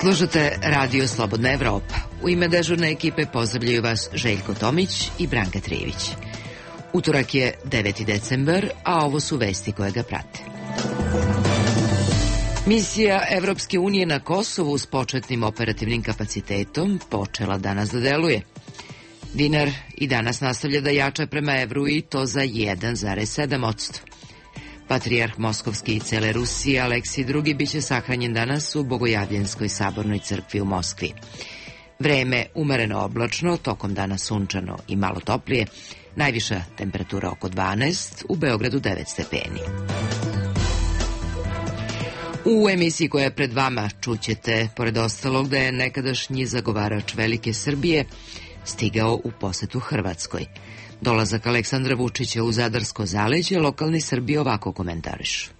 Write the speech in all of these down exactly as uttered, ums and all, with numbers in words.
Slušate Radio Slobodna Evropa. U ime dežurne ekipe pozdravljaju vas Željko Tomić i Branka Trijević. Utorak je deveti decembar, a ovo su vesti koje ga prate. Misija Evropske unije na Kosovu s početnim operativnim kapacitetom počela danas da deluje. Dinar i danas nastavlja da jača prema evru i to za jedan zarez sedam posto. Patrijarh Moskovski i cele Rusije Aleksij drugi biće sahranjen danas u Bogojavljenskoj sabornoj crkvi u Moskvi. Vreme umereno oblačno, tokom dana sunčano i malo toplije, najviša temperatura oko dvanaest, u Beogradu devet stepeni. U emisiji koja je pred vama čućete, pored ostalog, da je nekadašnji zagovarač Velike Srbije stigao u posetu Hrvatskoj. Dolazak Aleksandra Vučića u Zadarsko zaleđe lokalni Srbi ovako komentarišu.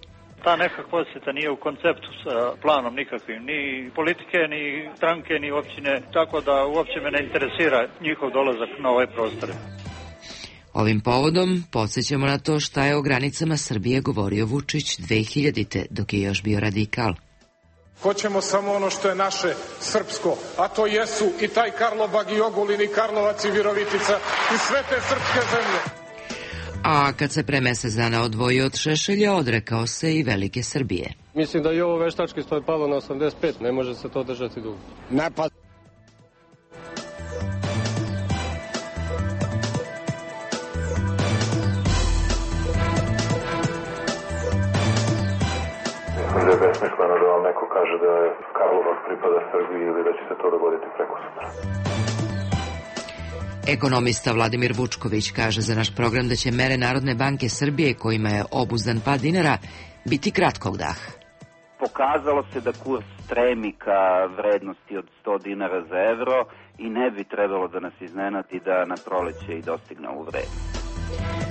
Ta neka posjeta nije u konceptu sa planom nikakvim, ni politike, ni stranke, ni općine, tako da uopće me ne interesira njihov dolazak na ove prostore. Ovim povodom podsjećamo na to šta je o granicama Srbije govorio Vučić dve hiljadite dok je još bio radikal. Hoćemo samo ono što je naše srpsko, a to jesu i taj Karlobag i Ogulin i Karlovac i Virovitica i sve te srpske zemlje. A kad se pre mesec dana odvojio od Šešelja, odrekao se i Velike Srbije. Mislim da i ovo veštački sto je palo na osamdeset pet, ne može se to držati dugo. Napad. Mislim da je besmisleno da vam neko kaže da je Karlovac pripada Srbiji ili da će se to dogoditi preko sutra. Ekonomista Vladimir Vučković kaže za naš program da će mere Narodne banke Srbije, kojima je obuzdan pad dinara, biti kratkog daha. Pokazalo se da kurs stremi ka vrednosti od sto dinara za evro i ne bi trebalo da nas iznenadi da na proleće i dostigne ovu vrednost.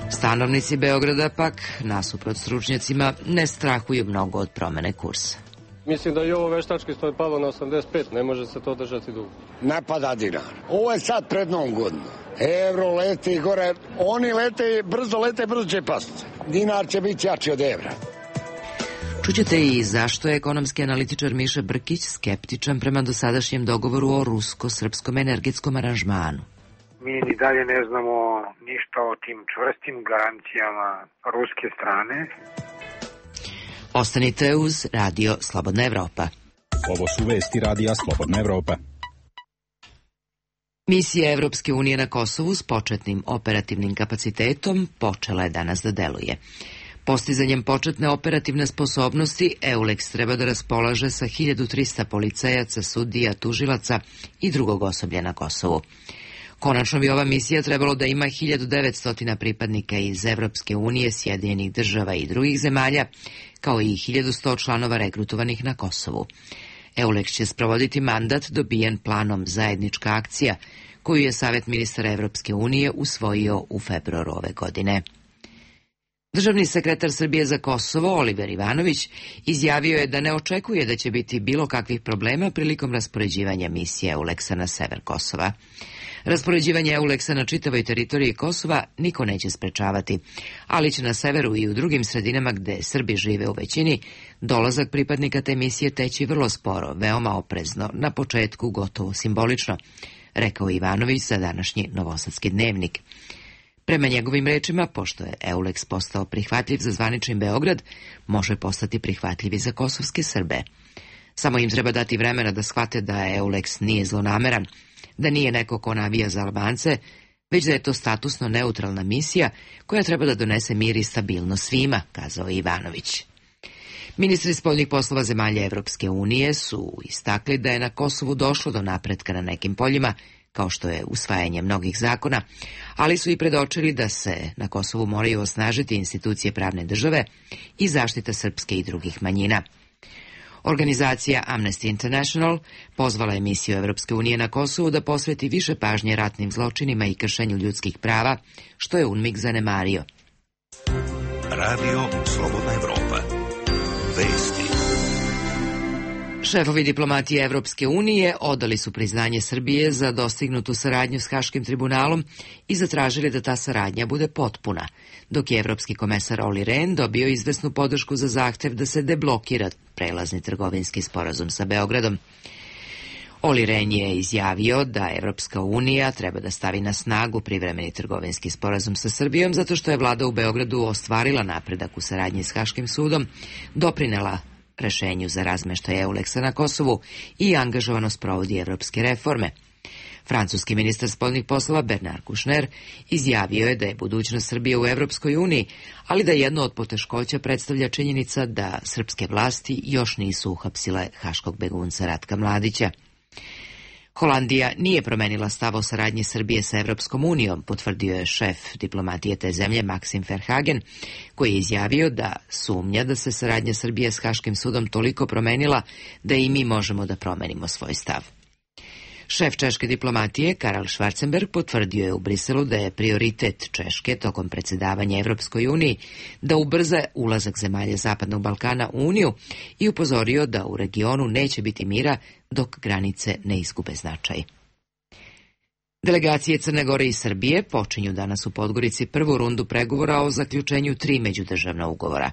Stanovnici Beograda pak, nasuprot stručnjacima, ne strahuju mnogo od promene kursa. Mislim da i ovo veštački sto je palo na osamdeset pet, ne može se to držati dugo. Napada dinar. Ovo je sad pred Novom godinu. Evro leti gore, oni lete, brzo lete, brzo će pasti. Dinar će biti jači od evra. Čućete i zašto je ekonomski analitičar Miša Brkić skeptičan prema dosadašnjem dogovoru o rusko-srpskom energetskom aranžmanu. Mi ni dalje ne znamo ništa o tim čvrstim garancijama ruske strane. Ostanite uz Radio Slobodna Evropa. Ovo su vesti Radija Slobodna Evropa. Misija Evropske unije na Kosovu s početnim operativnim kapacitetom počela je danas da deluje. Postizanjem početne operativne sposobnosti, EULEX treba da raspolaže sa hiljadu trista policajaca, sudija, tužilaca i drugog osoblja na Kosovu. Konačno bi ova misija trebalo da ima hiljadu devetsto pripadnika iz Evropske unije, Sjedinjenih država i drugih zemalja, kao i hiljadu sto članova regrutovanih na Kosovu. EULEX će sprovoditi mandat dobijen planom Zajednička akcija, koju je Savet ministara Evropske unije usvojio u februaru ove godine. Državni sekretar Srbije za Kosovo, Oliver Ivanović, izjavio je da ne očekuje da će biti bilo kakvih problema prilikom raspoređivanja misije EULEX-a na sever Kosova. Raspoređivanje EULEX-a na čitavoj teritoriji Kosova niko neće sprečavati, ali će na severu i u drugim sredinama gde Srbi žive u većini, dolazak pripadnika te misije teći vrlo sporo, veoma oprezno, na početku gotovo simbolično, rekao Ivanović za današnji Novosadski dnevnik. Prema njegovim rečima, pošto je EULEX postao prihvatljiv za zvanični Beograd, može postati prihvatljiv i za kosovske Srbe. Samo im treba dati vremena da shvate da EULEX nije zlonameran, da nije neko ko navija za Albance, već da je to statusno neutralna misija koja treba da donese mir i stabilnost svima, kazao je Ivanović. Ministri spoljnih poslova zemalja Evropske unije su istakli da je na Kosovu došlo do napretka na nekim poljima, kao što je usvajanje mnogih zakona, ali su i predočili da se na Kosovu moraju osnažiti institucije pravne države i zaštita srpske i drugih manjina. Organizacija Amnesty International pozvala je misiju Evropske unije na Kosovu da posveti više pažnje ratnim zločinima i kršenju ljudskih prava, što je UNMIK zanemario. Radio Slobodna Evropa. Vesti. Šefovi diplomatije Evropske unije odali su priznanje Srbije za dostignutu saradnju s Haškim tribunalom i zatražili da ta saradnja bude potpuna, dok je evropski komesar Olli Rehn dobio izvesnu podršku za zahtev da se deblokira prelazni trgovinski sporazum sa Beogradom. Olli Rehn je izjavio da Evropska unija treba da stavi na snagu privremeni trgovinski sporazum sa Srbijom zato što je vlada u Beogradu ostvarila napredak u saradnji s Haškim sudom, doprinela rešenju za razmeštaj Euleksa na Kosovu i angažovano sprovodi evropske reforme. Francuski ministar spoljnih poslova Bernard Kouchner izjavio je da je budućnost Srbije u Evropskoj uniji, ali da jedno od poteškoća predstavlja činjenica da srpske vlasti još nisu uhapsile haškog begunca Ratka Mladića. Holandija nije promenila stav o saradnji Srbije sa Evropskom unijom, potvrdio je šef diplomatije te zemlje Maxim Verhagen, koji je izjavio da sumnja da se saradnja Srbije s Haškim sudom toliko promenila da i mi možemo da promenimo svoj stav. Šef češke diplomatije Karel Schwarzenberg potvrdio je u Briselu da je prioritet Češke tokom predsjedavanja Evropskoj uniji da ubrza ulazak zemalja Zapadnog Balkana u Uniju i upozorio da u regionu neće biti mira dok granice ne izgube značaj. Delegacije Crne Gore i Srbije počinju danas u Podgorici prvu rundu pregovora o zaključenju tri međudržavna ugovora.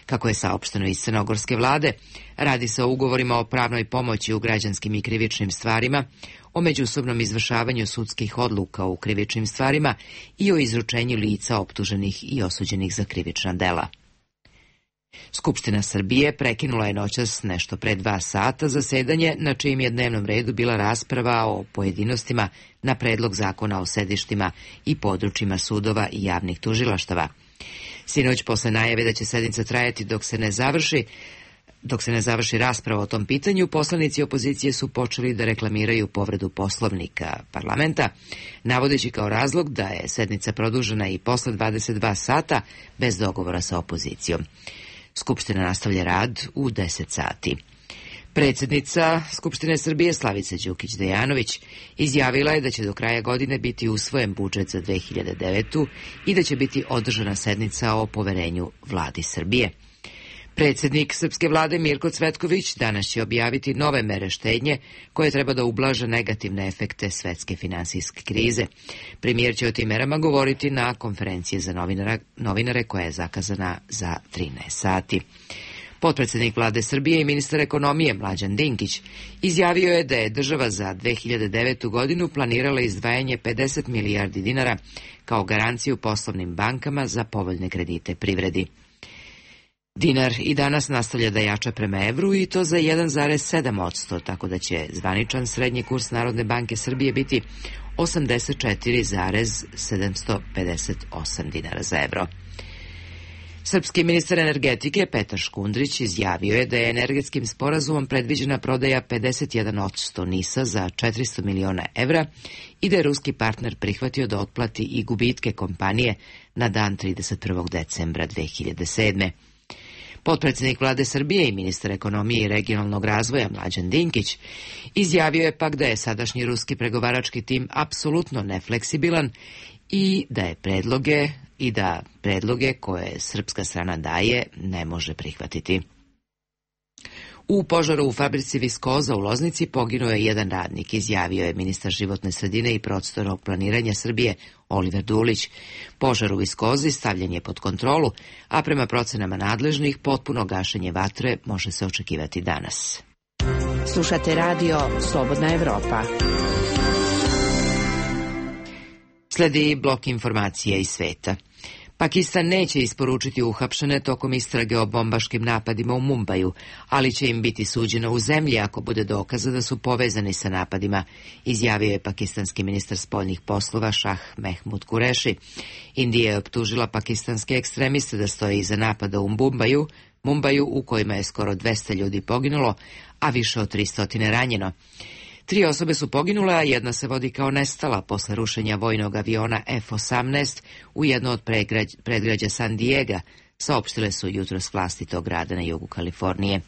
Kako je saopšteno iz crnogorske vlade, radi se o ugovorima o pravnoj pomoći u građanskim i krivičnim stvarima, o međusobnom izvršavanju sudskih odluka u krivičnim stvarima i o izručenju lica optuženih i osuđenih za krivična dela. Skupština Srbije prekinula je noćas nešto pre dva sata zasedanje na čijim je dnevnom redu bila rasprava o pojedinostima na predlog zakona o sedištima i područjima sudova i javnih tužilaštava. Sinoć, posle najave da će sednica trajati dok se ne završi, dok se ne završi rasprava o tom pitanju, poslanici opozicije su počeli da reklamiraju povredu poslovnika parlamenta, navodeći kao razlog da je sednica produžena i posle dvadeset dva sata bez dogovora sa opozicijom. Skupština nastavlja rad u deset sati. Predsjednica Skupštine Srbije Slavica Đukić Dejanović izjavila je da će do kraja godine biti usvojen budžet za dve hiljade devetu. i da će biti održana sednica o poverenju vladi Srbije. Predsjednik srpske vlade Mirko Cvetković danas će objaviti nove mere štednje koje treba da ublaže negativne efekte svetske finansijske krize. Premijer će o tim merama govoriti na konferenciji za novinara, novinare koja je zakazana za trinaest sati. Potpredsjednik vlade Srbije i ministar ekonomije Mlađan Dinkić izjavio je da je država za dve hiljade devetu. godinu planirala izdvajanje pedeset milijardi dinara kao garanciju poslovnim bankama za povoljne kredite privredi. Dinar i danas nastavlja da jača prema evru i to za jedan zarez sedam posto, tako da će zvaničan srednji kurs Narodne banke Srbije biti osamdeset četiri zarez sedamsto pedeset osam dinara za evro. Srpski ministar energetike Petar Škundrić izjavio je da je energetskim sporazumom predviđena prodaja pedeset jedan posto NIS-a za četiristo miliona evra i da je ruski partner prihvatio da otplati i gubitke kompanije na dan trideset prvog decembra dve hiljade sedme. Potpredsjednik vlade Srbije i ministar ekonomije i regionalnog razvoja Mlađan Dinkić izjavio je pak da je sadašnji ruski pregovarački tim apsolutno nefleksibilan i da je predloge i da predloge koje srpska strana daje ne može prihvatiti. U požaru u fabrici Viskoza u Loznici poginuo je jedan radnik, izjavio je ministar životne sredine i prostornog planiranja Srbije Oliver Dulić. Požar u Viskozi stavljen je pod kontrolu, a prema procenama nadležnih potpuno gašenje vatre može se očekivati danas. Slušate radio Slobodna Evropa. Sledi blok informacija iz sveta. Pakistan neće isporučiti uhapšene tokom istrage o bombaškim napadima u Mumbaju, ali će im biti suđeno u zemlji ako bude dokaza da su povezani sa napadima, izjavio je pakistanski ministar spoljnih poslova Šah Mehmud Kureši. Indija je optužila pakistanske ekstremiste da stoje iza napada u Mumbaju, Mumbaju u kojima je skoro dvesta ljudi poginulo, a više od tristo ranjeno. Tri osobe su poginule, a jedna se vodi kao nestala posle rušenja vojnog aviona F osamnaest u jedno od pregrađ, predgrađa San Diega, saopštile su jutros vlasti tog grada na jugu Kalifornije.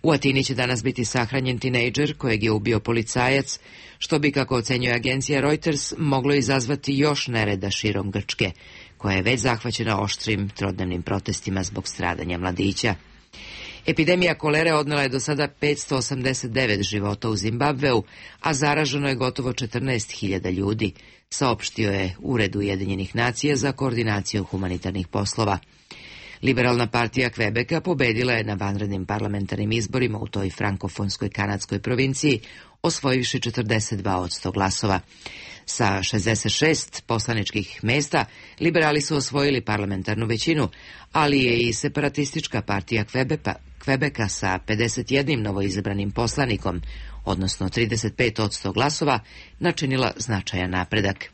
U Atini će danas biti sahranjen tinejdžer kojeg je ubio policajac, što bi, kako ocenjuje agencija Reuters, moglo izazvati još nereda širom Grčke, koja je već zahvaćena oštrim trodnevnim protestima zbog stradanja mladića. Epidemija kolere odnela je do sada petsto osamdeset devet života u Zimbabveu, a zaraženo je gotovo četrnaest hiljada ljudi, saopštio je Ured Ujedinjenih nacija za koordinaciju humanitarnih poslova. Liberalna partija Kvebeka pobedila je na vanrednim parlamentarnim izborima u toj frankofonskoj kanadskoj provinciji, osvojivši četrdeset dva posto glasova. Sa šezdeset šest poslaničkih mesta liberali su osvojili parlamentarnu većinu, ali je i separatistička partija Kvebeka, Kvebeka sa pedeset jednim novoizabranim poslanikom, odnosno trideset pet posto glasova, načinila značajan napredak.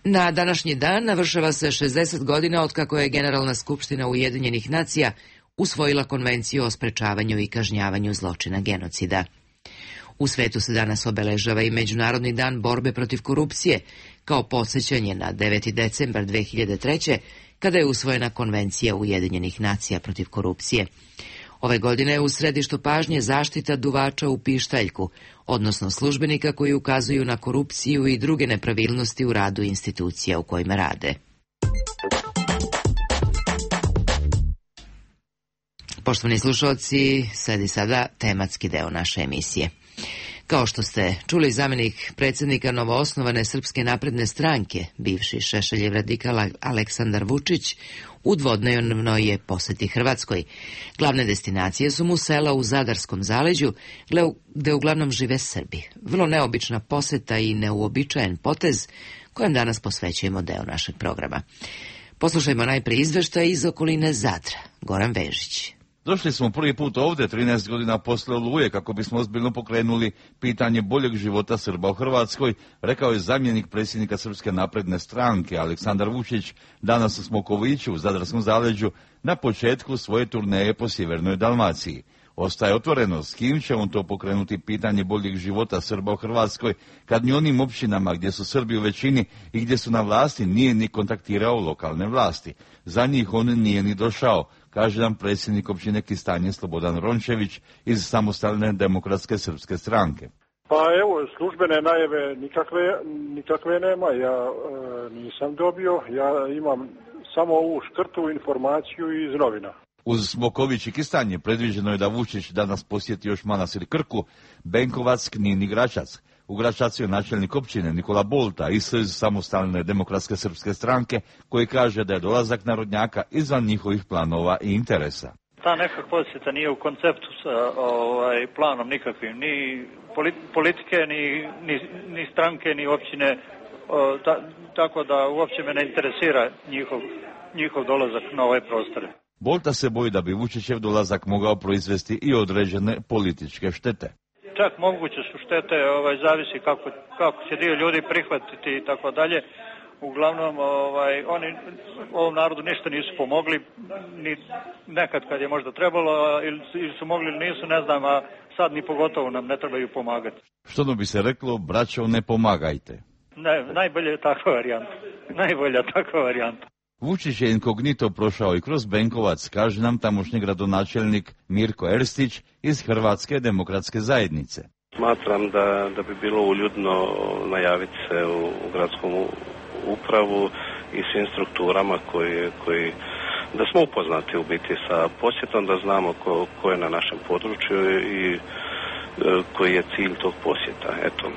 Na današnji dan navršava se šezdeset godina otkako je Generalna skupština Ujedinjenih nacija usvojila konvenciju o sprečavanju i kažnjavanju zločina genocida. U svetu se danas obeležava i Međunarodni dan borbe protiv korupcije, kao podsjećanje na deveti decembar dve hiljade treće. kada je usvojena Konvencija Ujedinjenih nacija protiv korupcije. Ove godine je u središtu pažnje zaštita duvača u pištaljku, odnosno službenika koji ukazuju na korupciju i druge nepravilnosti u radu institucija u kojima rade. Poštovani slušalci, sledi sada tematski deo naše emisije. Kao što ste čuli, zamjenik predsjednika novoosnovane Srpske napredne stranke, bivši Šešeljev radikal Aleksandar Vučić, u dvodnevnoj je poseti Hrvatskoj. Glavne destinacije su mu sela u Zadarskom zaleđu, gde uglavnom žive Srbi. Vrlo neobična poseta i neuobičajen potez kojem danas posvećujemo deo našeg programa. Poslušajmo najprije izveštaj iz okoline Zadra. Goran Vežić. Došli smo prvi put ovdje trinaest godina posle Oluje kako bismo ozbiljno pokrenuli pitanje boljeg života Srba u Hrvatskoj, rekao je zamjenik predsjednika Srpske napredne stranke Aleksandar Vučić danas u Smokoviću u Zadarskom zaleđu na početku svoje turneje po sjevernoj Dalmaciji. Ostaje otvoreno s kim će on to pokrenuti pitanje boljeg života Srba u Hrvatskoj kad ni onim općinama gdje su Srbi u većini i gdje su na vlasti nije ni kontaktirao lokalne vlasti. Za njih on nije ni došao, kaže nam predsjednik općine Kistanje Slobodan Rončević iz Samostalne demokratske srpske stranke. Pa evo, službene najave nikakve, nikakve nema, ja e, nisam dobio, ja imam samo ovu škrtu informaciju iz novina. Uz Smoković i Kistanje predviđeno je da Vučić danas posjeti još Manastir Krku, Benkovac, Knin i Gračac. U Gračacu je načelnik općine Nikola Bolta iz Samostalne demokratske srpske stranke koji kaže da je dolazak narodnjaka izvan njihovih planova i interesa. Ta neka posjeta nije u konceptu sa ovaj, planom nikakvim, ni politike, ni, ni, ni stranke, ni općine, o, ta, tako da uopće me ne interesira njihov, njihov dolazak na ove prostore. Bolta se boji da bi Vučićev dolazak mogao proizvesti i određene političke štete. Čak moguće su štete, ovaj, zavisi kako, kako će dio ljudi prihvatiti i tako dalje. Uglavnom, ovaj, oni ovom narodu ništa nisu pomogli, ni nekad kad je možda trebalo, ili, ili su mogli ili nisu, ne znam, a sad ni pogotovo nam ne trebaju pomagati. Što bi se reklo, braćo, ne pomagajte. Ne, najbolje je takva varijanta. Najbolja takva varijanta. Vučić je inkognito prošao i kroz Benkovac, kaže nam tamošnji gradonačelnik Mirko Erstić iz Hrvatske demokratske zajednice. Smatram da, da bi bilo uljudno najaviti se u, u gradskom upravu i svim strukturama koji, koji da smo upoznati u biti sa posjetom, da znamo ko, ko je na našem području i e, koji je cilj tog posjeta. Eto.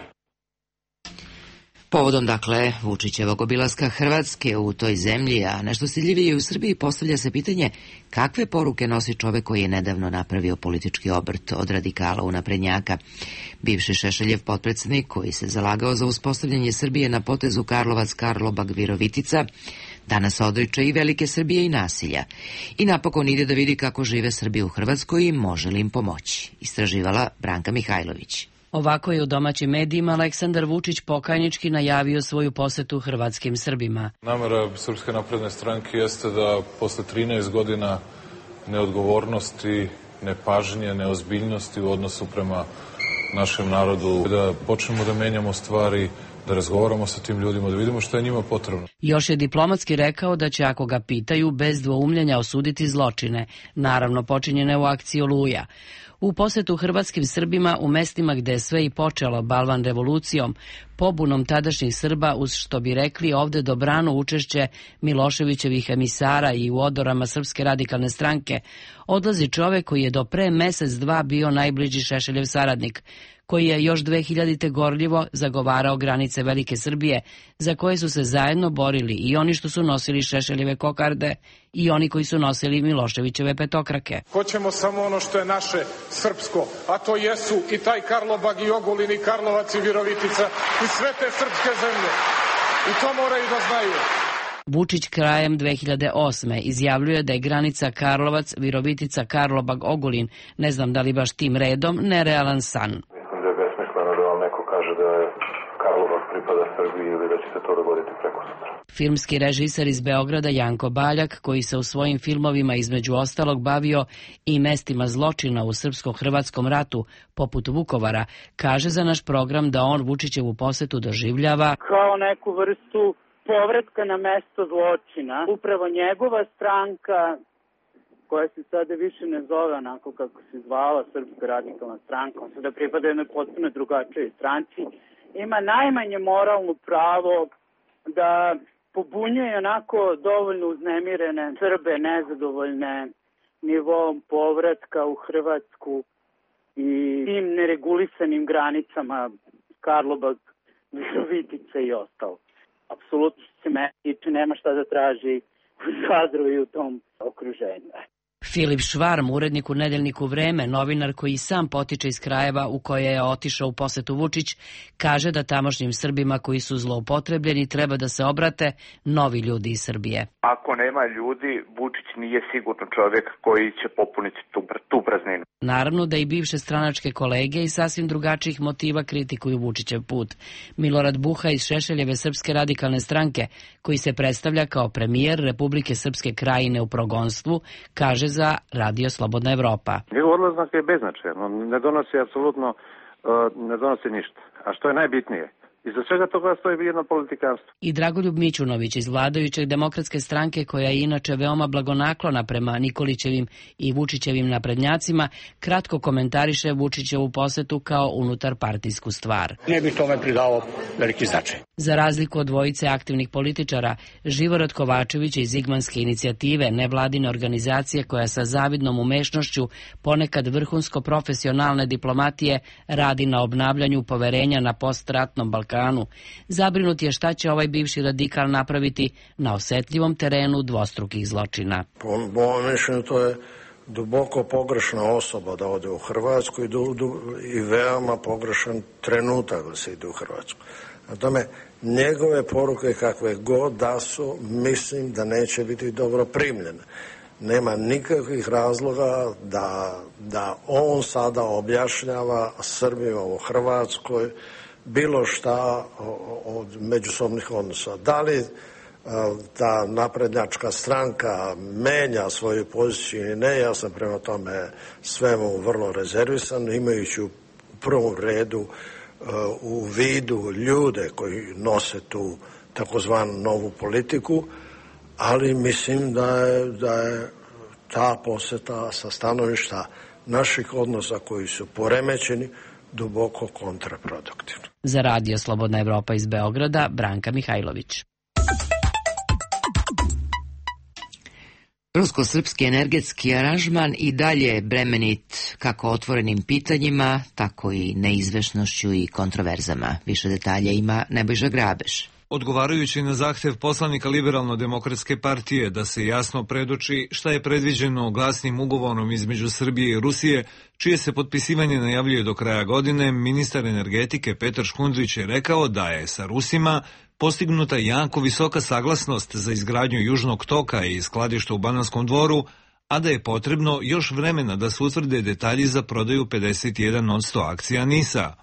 Povodom, dakle, Vučićevog obilaska Hrvatske u toj zemlji, a nešto stidljivije u Srbiji, postavlja se pitanje kakve poruke nosi čovek koji je nedavno napravio politički obrt od radikala u naprednjaka. Bivši Šešeljev potpredsjednik koji se zalagao za uspostavljanje Srbije na potezu Karlobag-Virovitica, danas odriče i velike Srbije i nasilja. I napokon ide da vidi kako žive Srbi u Hrvatskoj i može li im pomoći. Istraživala Branka Mihajlović. Ovako je u domaćim medijima Aleksandar Vučić pokajnički najavio svoju posetu hrvatskim Srbima. Namera Srpske napredne stranke jeste da posle trinaest godina neodgovornosti, nepažnje, neozbiljnosti u odnosu prema našem narodu, da počnemo da menjamo stvari, da razgovaramo sa tim ljudima, da vidimo što je njima potrebno. Još je diplomatski rekao da će, ako ga pitaju, bez dvoumljenja osuditi zločine, naravno počinjene u akciji Oluja. U posetu hrvatskim Srbima u mestima gde je sve i počelo balvan revolucijom, pobunom tadašnjih Srba, uz što bi rekli ovde dobrano učešće Miloševićevih emisara i u odorama Srpske radikalne stranke, odlazi čovek koji je do pre mesec dva bio najbliži Šešeljev saradnik, koji je još dve hiljadite gorljivo zagovarao granice Velike Srbije, za koje su se zajedno borili i oni što su nosili Šešeljeve kokarde i oni koji su nosili Miloševićeve petokrake. Hoćemo samo ono što je naše srpsko, a to jesu i taj Karlobag i Ogulin i Karlovac i Virovitica i sve te srpske zemlje. I to moraju da znaju. Vučić krajem dve hiljade osme izjavljuje da je granica Karlovac, Virovitica, Karlobag, Ogulin, ne znam da li baš tim redom, nerealan san. Mislim da je besmisleno da vam neko kaže da je Karlobag pripada Srbiji ili da će se to dogoditi preko sutra. Filmski režiser iz Beograda Janko Baljak, koji se u svojim filmovima između ostalog bavio i mestima zločina u srpsko-hrvatskom ratu, poput Vukovara, kaže za naš program da on Vučićevu posetu doživljava kao neku vrstu povratka na mesto zločina. Upravo njegova stranka, koja se sada više ne zove onako kako se zvala Srpska radikalna stranka, on sada pripada jednoj potpuno drugačijoj stranci, ima najmanje moralno pravo da pobunjuje onako dovoljno uznemirene Srbe, nezadovoljne nivom povratka u Hrvatsku i tim neregulisanim granicama Karlobag, Virovitica i ostalo. Apsolutno se meni tiče, nema šta da traži u Zadru i u tom okruženju. Filip Švarm, urednik u nedeljniku Vreme, novinar koji sam potiče iz krajeva u koje je otišao u posetu Vučić, kaže da tamošnjim Srbima koji su zloupotrebljeni treba da se obrate novi ljudi iz Srbije. Ako nema ljudi, Vučić nije sigurno čovjek koji će popuniti tu, tu prazninu. Naravno da i bivše stranačke kolege iz sasvim drugačijih motiva kritikuju Vučićev put. Milorad Buha iz Šešeljeve Srpske radikalne stranke, koji se predstavlja kao premijer Republike Srpske Krajine u progonstvu, kaže za Radio Slobodna Evropa. Njegov odlazak je beznačajan, on ne donosi apsolutno, uh, ne donosi ništa. A što je najbitnije? Iza svega toga stoji jedno politikanstvo. I Dragoljub Mićunović iz vladajuće demokratske stranke, koja je inače veoma blagonaklona prema Nikolićevim i Vučićevim naprednjacima, kratko komentariše Vučićevu posetu kao unutar partijsku stvar. Ne bi tome pridao veliki značaj. Za razliku od dvojice aktivnih političara, Živorad Kovačević iz Zigmanske inicijative, nevladine organizacije koja sa zavidnom umešnošću ponekad vrhunsko profesionalne diplomatije radi na obnavljanju poverenja na postratnom Balkanu, zabrinut je šta će ovaj bivši radikal napraviti na osetljivom terenu dvostrukih zločina. Po mojom mišljenju to je duboko pogrešna osoba da ode u Hrvatsku i, du, du, i veoma pogrešan trenutak da se ide u Hrvatsku. Na tome, njegove poruke kakve god da su, mislim da neće biti dobro primljene. Nema nikakvih razloga da, da on sada objašnjava Srbima u Hrvatskoj bilo šta od međusobnih odnosa. Da li ta naprednjačka stranka menja svoju poziciju ili ne, ja sam prema tome svemu vrlo rezervisan, imajući u prvom redu u vidu ljude koji nose tu takozvanu novu politiku, ali mislim da je, da je ta poseta sa stanovišta naših odnosa koji su poremećeni duboko kontraproduktivno. Za Radio Slobodna Evropa iz Beograda, Branka Mihajlović. Rusko-srpski energetski aranžman i dalje je bremenit kako otvorenim pitanjima, tako i neizvešnošću i kontroverzama. Više detalja ima Nebojša Grabeš. Odgovarajući na zahtev poslanika Liberalno-demokratske partije da se jasno predoči šta je predviđeno glasnim ugovorom između Srbije i Rusije, čije se potpisivanje najavljuje do kraja godine, ministar energetike Petar Škundrić je rekao da je sa Rusima postignuta jako visoka saglasnost za izgradnju Južnog toka i skladišta u Bananskom Dvoru, a da je potrebno još vremena da se utvrde detalji za prodaju pedeset jedan posto akcija NIS-a.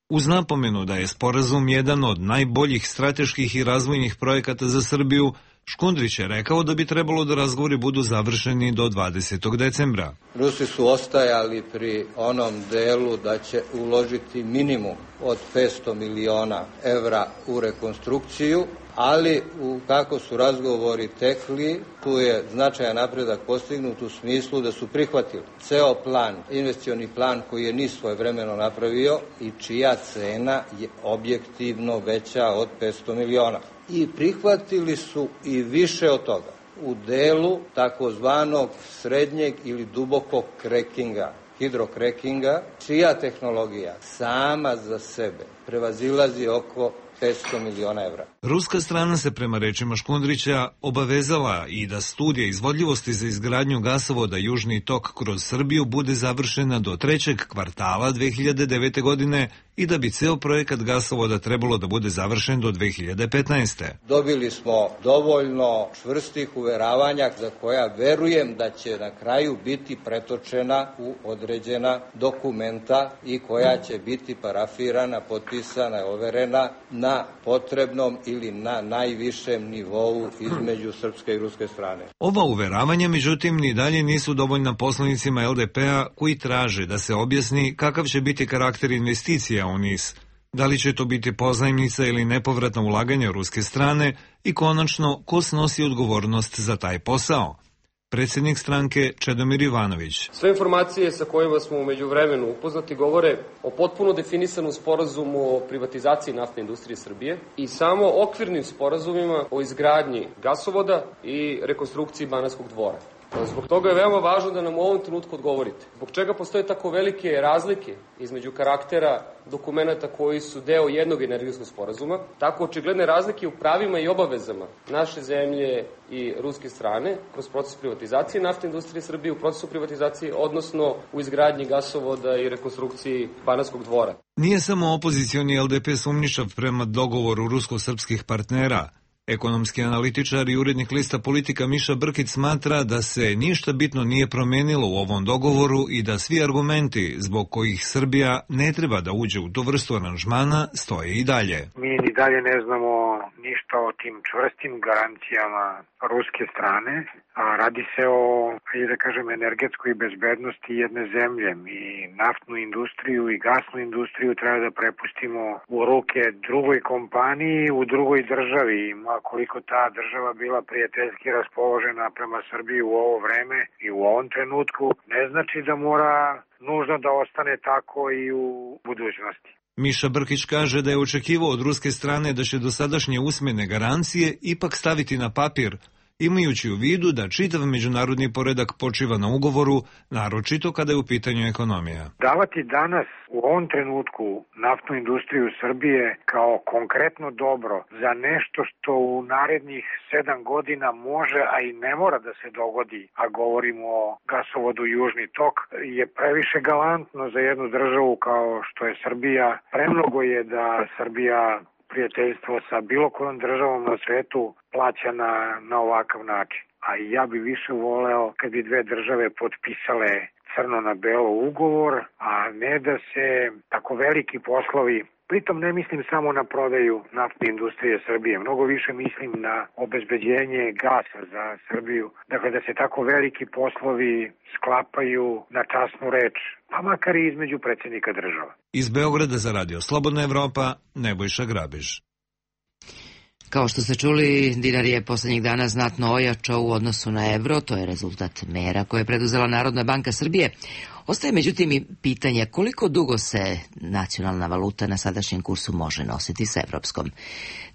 Uz napomenu da je sporazum jedan od najboljih strateških i razvojnih projekata za Srbiju, Škundrić je rekao da bi trebalo da razgovori budu završeni do dvadesetog decembra. Rusi su ostajali pri onom delu da će uložiti minimum od petsto miliona evra u rekonstrukciju, ali u kako su razgovori tekli, tu je značajan napredak postignut u smislu da su prihvatili ceo plan, investicioni plan koji je NIS svojevremeno napravio i čija cena je objektivno veća od petsto miliona. I prihvatili su i više od toga. u delu takozvanog srednjeg ili dubokog krekinga, hidrokrekinga, čija tehnologija sama za sebe prevazilazi oko petsto miliona evra. Ruska strana se prema rečima Škundrića obavezala i da studija izvodljivosti za izgradnju gasovoda Južni tok kroz Srbiju bude završena do trećeg kvartala dve hiljade devete. godine i da bi ceo projekat gasovoda trebalo da bude završen do dve hiljade petnaeste. Dobili smo dovoljno čvrstih uveravanja za koja verujem da će na kraju biti pretočena u određena dokumenta i koja će biti parafirana, potpisana, overena na potrebnom ili na najvišem nivou između srpske i ruske strane. Ova uveravanja, međutim, ni dalje nisu dovoljna poslanicima el de pe-a koji traže da se objasni kakav će biti karakter investicija u N I S. Da li će to biti pozajmnica ili nepovratna ulaganja ruske strane i konačno ko snosi odgovornost za taj posao? Predsjednik stranke Čedomir Ivanović. Sve informacije sa kojima smo u međuvremenu upoznati govore o potpuno definisanom sporazumu o privatizaciji naftne industrije Srbije i samo okvirnim sporazumima o izgradnji gasovoda i rekonstrukciji Banatskog dvora. Zbog toga je veoma važno da nam u ovom trenutku odgovorite. Zbog čega postoje tako velike razlike između karaktera dokumenta koji su deo jednog energetskog sporazuma, tako očigledne razlike u pravima i obavezama naše zemlje i ruske strane kroz proces privatizacije naftne industrije Srbije, u procesu privatizacije, odnosno u izgradnji gasovoda i rekonstrukciji Banatskog dvora. Nije samo opozicioni el de pe sumnjičav prema dogovoru rusko-srpskih partnera. Ekonomski analitičar i urednik lista Politika Miša Brkić smatra da se ništa bitno nije promenilo u ovom dogovoru i da svi argumenti zbog kojih Srbija ne treba da uđe u tu vrstu aranžmana stoje i dalje. Mi ni dalje ne znamo ništa o tim čvrstim garancijama ruske strane, a radi se o, da kažem, energetskoj bezbednosti jedne zemlje. Mi naftnu industriju i gasnu industriju treba da prepustimo u ruke drugoj kompaniji, u drugoj državi. Ma koliko ta država bila prijateljski raspoložena prema Srbiji u ovo vreme i u ovom trenutku, ne znači da mora nužno da ostane tako i u budućnosti. Miša Brkić kaže da je očekivao od ruske strane da će dosadašnje usmene garancije ipak staviti na papir, imajući u vidu da čitav međunarodni poredak počiva na ugovoru, naročito kada je u pitanju ekonomija. Davati danas u ovom trenutku naftnu industriju Srbije kao konkretno dobro za nešto što u narednih sedam godina može, a i ne mora da se dogodi, a govorimo o gasovodu Južni tok, je previše galantno za jednu državu kao što je Srbija. Premnogo je da Srbija prijateljstvo sa bilo kojom državom na svetu plaća na, na ovakav način. A ja bi više voleo kad bi dve države potpisale crno na belo ugovor, a ne da se tako veliki poslovi, pritom ne mislim samo na prodaju naftne industrije Srbije, mnogo više mislim na obezbeđenje gasa za Srbiju, dakle da se tako veliki poslovi sklapaju na časnu reč, pa makar i između predsjednika država. Iz Beograda za Radio Slobodna Evropa, Nebojša Grabiš. Kao što ste čuli, dinar je poslednjih dana znatno ojačao u odnosu na evro, to je rezultat mera koje je preduzela Narodna banka Srbije. Ostaje međutim i pitanje koliko dugo se nacionalna valuta na sadašnjem kursu može nositi s evropskom.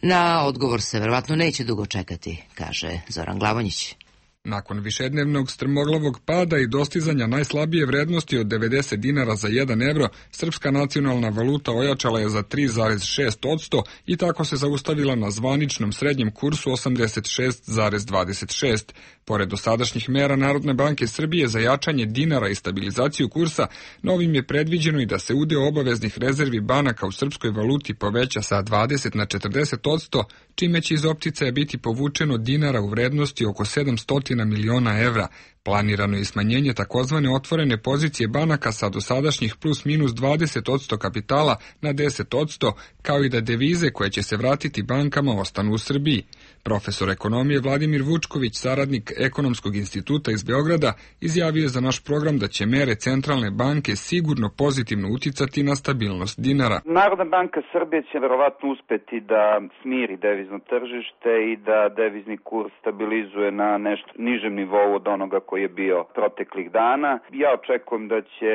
Na odgovor se verovatno neće dugo čekati, kaže Zoran Glavonjić. Nakon višednevnog strmoglavog pada i dostizanja najslabije vrednosti od devedeset dinara za jedan evro, srpska nacionalna valuta ojačala je za tri zarez šest posto i tako se zaustavila na zvaničnom srednjem kursu osamdeset šest zarez dvadeset šest. Pored dosadašnjih mera Narodne banke Srbije za jačanje dinara i stabilizaciju kursa, novim je predviđeno i da se udeo obaveznih rezervi banaka u srpskoj valuti poveća sa dvadeset na četrdeset posto, čime će iz opticaja biti povučeno dinara u vrednosti oko sedamsto miliona evra. Planirano je smanjenje takozvane otvorene pozicije banaka sa dosadašnjih plus minus dvadeset posto kapitala na deset posto, kao i da devize koje će se vratiti bankama ostanu u Srbiji. Profesor ekonomije Vladimir Vučković, saradnik Ekonomskog instituta iz Beograda, izjavio je za naš program da će mere centralne banke sigurno pozitivno uticati na stabilnost dinara. Narodna banka Srbije će verovatno uspeti da smiri devizno tržište i da devizni kurs stabilizuje na nešto nižem nivou od onoga koji je bio proteklih dana. Ja očekujem da će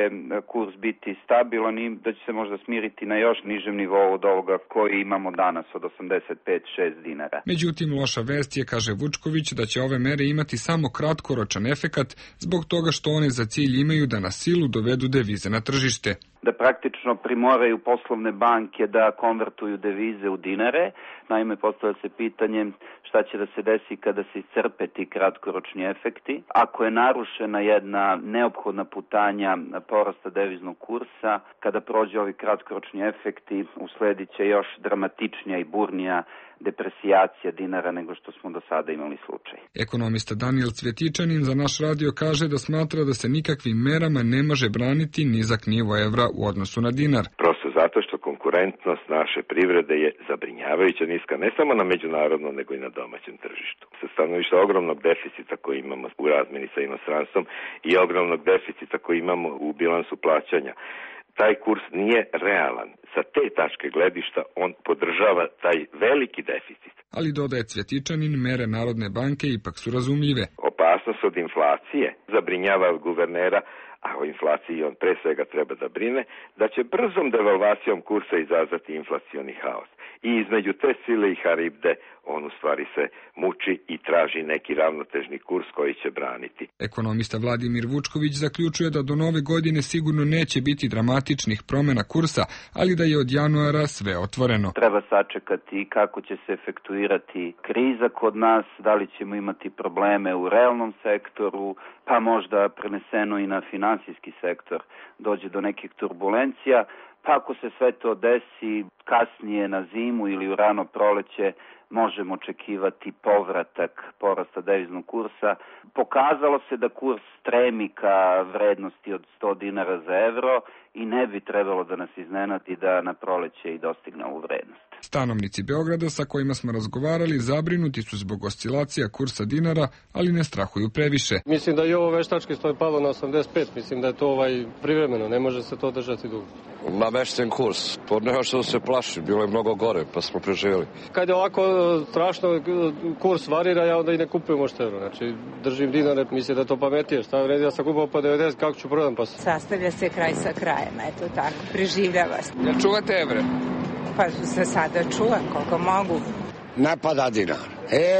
kurs biti stabilan i da će se možda smiriti na još nižem nivou od ovoga koji imamo danas od osamdeset pet zarez šest dinara. Međutim, loša vest je, kaže Vučković, da će ove mere imati samo kratkoročan efekat zbog toga što one za cilj imaju da na silu dovedu devize na tržište. Da praktično primoraju poslovne banke da konvertuju devize u dinare. Naime, postavlja se pitanje šta će da se desi kada se iscrpe ti kratkoročni efekti. Ako je narušena jedna neophodna putanja porasta deviznog kursa, kada prođe ovi kratkoročni efekti, usledit će još dramatičnija i burnija depresijacija dinara nego što smo do sada imali slučaj. Ekonomista Daniel Cvjetičanin za naš radio kaže da smatra da se nikakvim merama ne može braniti nizak nivo evra u odnosu na dinar. Prosto zato što konkurentnost naše privrede je zabrinjavajuća niska, ne samo na međunarodnom nego i na domaćem tržištu. Sa stanovišta ogromnog deficita koji imamo u razmeni sa inostranstvom i ogromnog deficita koji imamo u bilansu plaćanja, taj kurs nije realan. Sa te tačke gledišta on podržava taj veliki deficit. Ali dodaje Cvjetičanin, mere Narodne banke ipak su razumljive. Opasnost od inflacije zabrinjava guvernera, a o inflaciji on pre svega treba da brine, da će brzom devalvacijom kursa izazvati inflacioni haos. I između te sile i haribde on u stvari se muči i traži neki ravnotežni kurs koji će braniti. Ekonomista Vladimir Vučković zaključuje da do nove godine sigurno neće biti dramatičnih promjena kursa, ali da je od januara sve otvoreno. Treba sačekati kako će se efektuirati kriza kod nas, da li ćemo imati probleme u realnom sektoru, pa možda preneseno i na finansijski sektor dođe do nekih turbulencija. Pa ako se sve to desi kasnije na zimu ili u rano proleće, možemo očekivati povratak porasta deviznog kursa. Pokazalo se da kurs stremi ka vrednosti od sto dinara za evro i ne bi trebalo da nas iznenadi da na proleće i dostigne ovu vrednost. Stanovnici Beograda sa kojima smo razgovarali zabrinuti su zbog oscilacija kursa dinara, ali ne strahuju previše. Mislim da je ovo veštački što je palo na osamdeset pet, mislim da je to ovaj privremeno, ne može se to držati dugo. Namešten kurs, to nema što se plaši, bilo je mnogo gore, pa smo preživjeli. Kad je ovako strašno kurs varira, ja onda i ne kupujem oštevno, znači držim dinare, mislim da je to pametije, šta vredi da sam kupao po devedeset, kako ću prodam pa se. Sastavlja se kraj sa krajem, eto tako, preživljava se. Jel čuvate evre? Pa za sada čuvam koliko mogu. Ne pada dinar.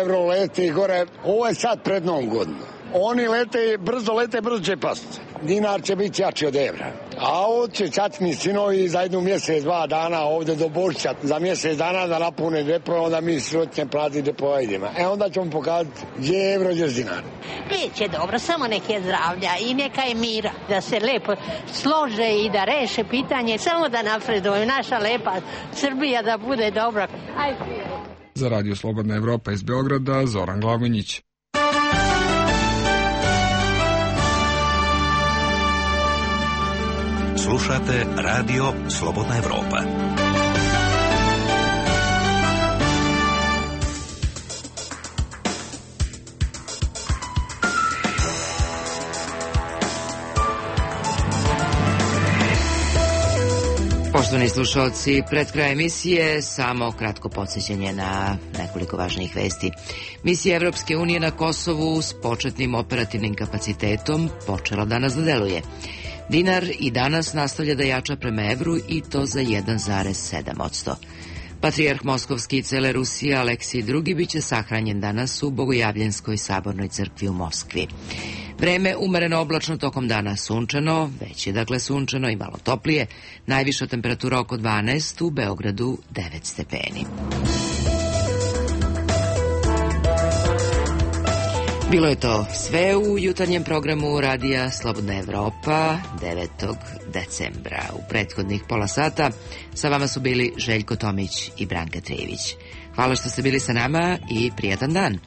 Evro leti gore, ovo je sad pred Novom godinom. Oni lete, brzo lete, brzo će pasti. Dinar će biti jači od evra. A ovo će čatni sinovi za jednu mjesec, dva dana ovdje do Božića, za mjesec dana da napune depo, onda mi sirotnje plati depo idemo. E onda ćemo pokazati gdje je evro, gdje je dinar. Biće dobro, samo nek je zdravlja i neka je mira, da se lepo slože i da reše pitanje, samo da napreduju naša lepa Srbija da bude dobra. Ajde. Za Radio Slobodna Evropa iz Beograda, Zoran Glavonjić. Slušate Radio Slobodna Evropa. Poštovani slušalci, pred kraj emisije samo kratko podsjećanje na nekoliko važnijih vesti. Misija Evropske unije na Kosovu s početnim operativnim kapacitetom počela danas da deluje. Dinar i danas nastavlja da jača prema evru i to za jedan zarez sedam posto. Patrijarh Moskovski i cele Rusije Aleksij drugi biće sahranjen danas u Bogojavljenskoj sabornoj crkvi u Moskvi. Vreme umereno oblačno, tokom dana sunčano, već je dakle sunčano i malo toplije, najviša temperatura oko dvanaest, u Beogradu devet stepeni. Bilo je to sve u jutarnjem programu Radija Slobodna Evropa devetog decembra. U prethodnih pola sata sa vama su bili Željko Tomić i Branka Trijević. Hvala što ste bili sa nama i prijatan dan.